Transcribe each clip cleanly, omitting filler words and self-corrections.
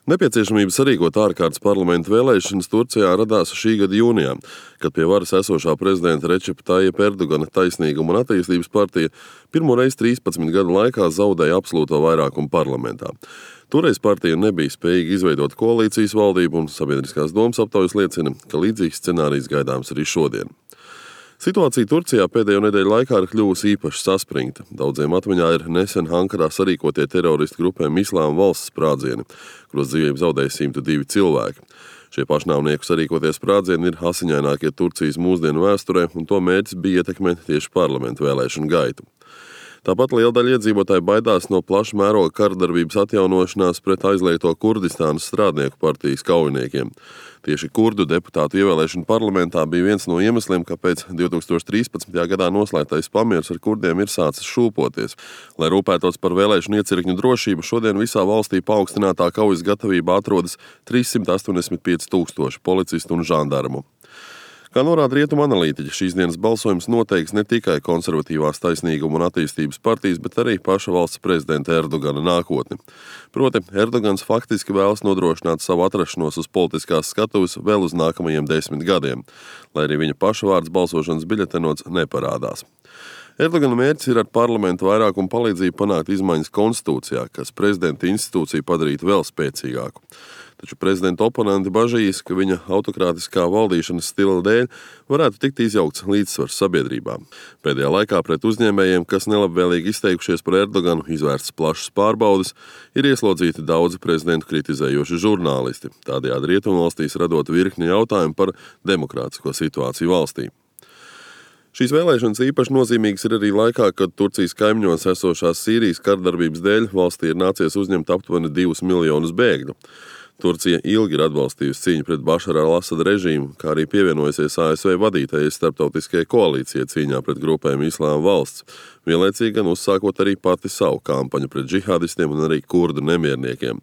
Nepieciešamība sarīkot ārkārtas parlamenta vēlēšanas Turcijā radās šī gada jūnijā, kad pie varas esošā prezidenta Recepa Tayyipa Erdogana Taisnīguma un attīstības partija pirmoreiz 13 gadu laikā zaudēja absolūto vairākumu parlamentā. Toreiz partija nebija spējīga izveidot koalīcijas valdību, un sabiedriskās domas aptaujas liecina, ka līdzīgs scenārijs gaidāms arī šodien. Situācija Turcijā pēdējo nedēļu laikā ir kļuvusi īpaši saspringta. Daudziem atmiņā ir nesen Ankarā sarīkotie teroristu grupēm Islāma valsts sprādzieni, kuros dzīvību zaudēja 102 cilvēki. Šie pašnāvnieku sarīkotie sprādzieni ir asiņainākie Turcijas mūsdienu vēsturē, un to mērķis bija ietekmēt tieši parlamentu vēlēšanu gaitu. Tāpat liela daļa iedzīvotāji baidās no plaša mēroga karadarbības atjaunošanās pret aizliegto Kurdistānas strādnieku partijas kaujiniekiem. Tieši kurdu deputātu ievēlēšana parlamentā bija viens no iemesliem, kāpēc 2013. gadā noslēgtais pamiers ar kurdiem ir sācis šūpoties. Lai rūpētos par vēlēšanu iecirkņu drošību, šodien visā valstī paaugstinātā kaujas gatavībā atrodas 385 000 policistu un žandarmu. Kā norāda rietumu analītiķi, šīs dienas balsojums noteiks ne tikai konservatīvās Taisnīguma un attīstības partijas, bet arī paša valsts prezidenta Erdogana nākotni. Proti, Erdogans faktiski vēlas nodrošināt savu atrašanos uz politiskās skatuves vēl uz nākamajiem 10 gadiem, lai arī viņa paša vārds balsošanas biļetenots neparādās. Erdogana mērķis ir ar parlamentu vairākumu palīdzību panākt izmaiņas konstitūcijā, kas prezidenta institūciju padarītu vēl spēcīgāku. Taču prezidenta oponenti bažīs, ka viņa autokrātiskā valdīšanas stila dēļ varētu tikt izjaukts līdzsvars sabiedrībā. Pēdējā laikā pret uzņēmējiem, kas nelabvēlīgi izteikušies par Erdoganu, izvērsts plašas pārbaudes, ir ieslodzīti daudzi prezidentu kritizējoši žurnālisti, tādējādi rietumvalstīs radot virkni jautājumu par demokrātisko situāciju valstī. Šīs vēlēšanas īpaši nozīmīgas ir arī laikā, kad Turcijas kaimiņos esošās Sīrijas kardarbības dēļ valstī ir nācies uzņemt aptuveni 2 miljonus bēgļu. Turcija ilgi ir atbalstījusi cīņu pret Bašara al-Asada režīmu, kā arī pievienojusies ASV vadītajai starptautiskajai koalīcijai cīņā pret grupēm Islāma valsts, vienlaicīgi gan uzsākot arī pati savu kampaņu pret džihādistiem un arī kurdu nemierniekiem.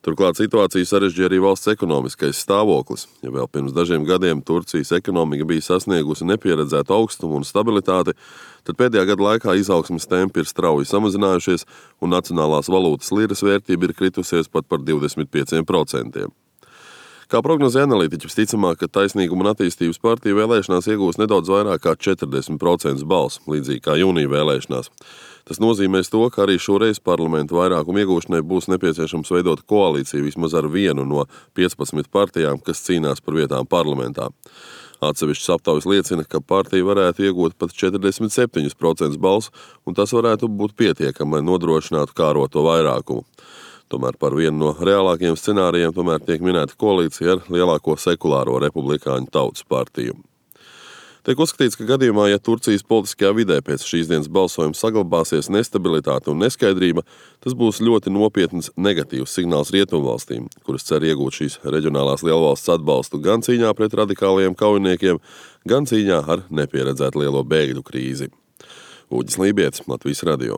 Turklāt situāciju sarežģīja arī valsts ekonomiskais stāvoklis. Ja vēl pirms dažiem gadiem Turcijas ekonomika bija sasniegusi nepieredzētu augstumu un stabilitāti, tad pēdējā gada laikā izaugsmes tempi ir strauji samazinājušies un nacionālās valūtas liras vērtība ir kritusies pat par 25%. Kā prognozē analītiķi, visticamāk, ka Taisnīguma un attīstības partija vēlēšanās iegūs nedaudz vairāk kā 40% balsu, līdzīgi kā jūnija vēlēšanās. Tas nozīmēs to, ka arī šoreiz parlamentu vairākumu iegūšanai būs nepieciešams veidot koalīciju vismaz ar vienu no 15 partijām, kas cīnās par vietām parlamentā. Atsevišķas aptaujas liecina, ka partija varētu iegūt pat 47% balsu, un tas varētu būt pietiekami, lai nodrošinātu kāroto vairākumu. Tomēr par vienu no reālākajiem scenārijiem tomēr tiek minēta koalīcija ar lielāko sekulāro republikāņu tautas partiju. Tiek uzskatīts, ka gadījumā, ja Turcijas politiskajā vidē pēc šīs dienas balsojuma saglabāsies nestabilitāte un neskaidrība, tas būs ļoti nopietns negatīvs signāls rietumvalstīm, kuras cer iegūt šīs reģionālās lielvalsts atbalstu gan cīņā pret radikālajiem kaujiniekiem, gan cīņā ar nepieredzētu lielo bēgļu krīzi. Uģis Lībietis, Latvijas radio.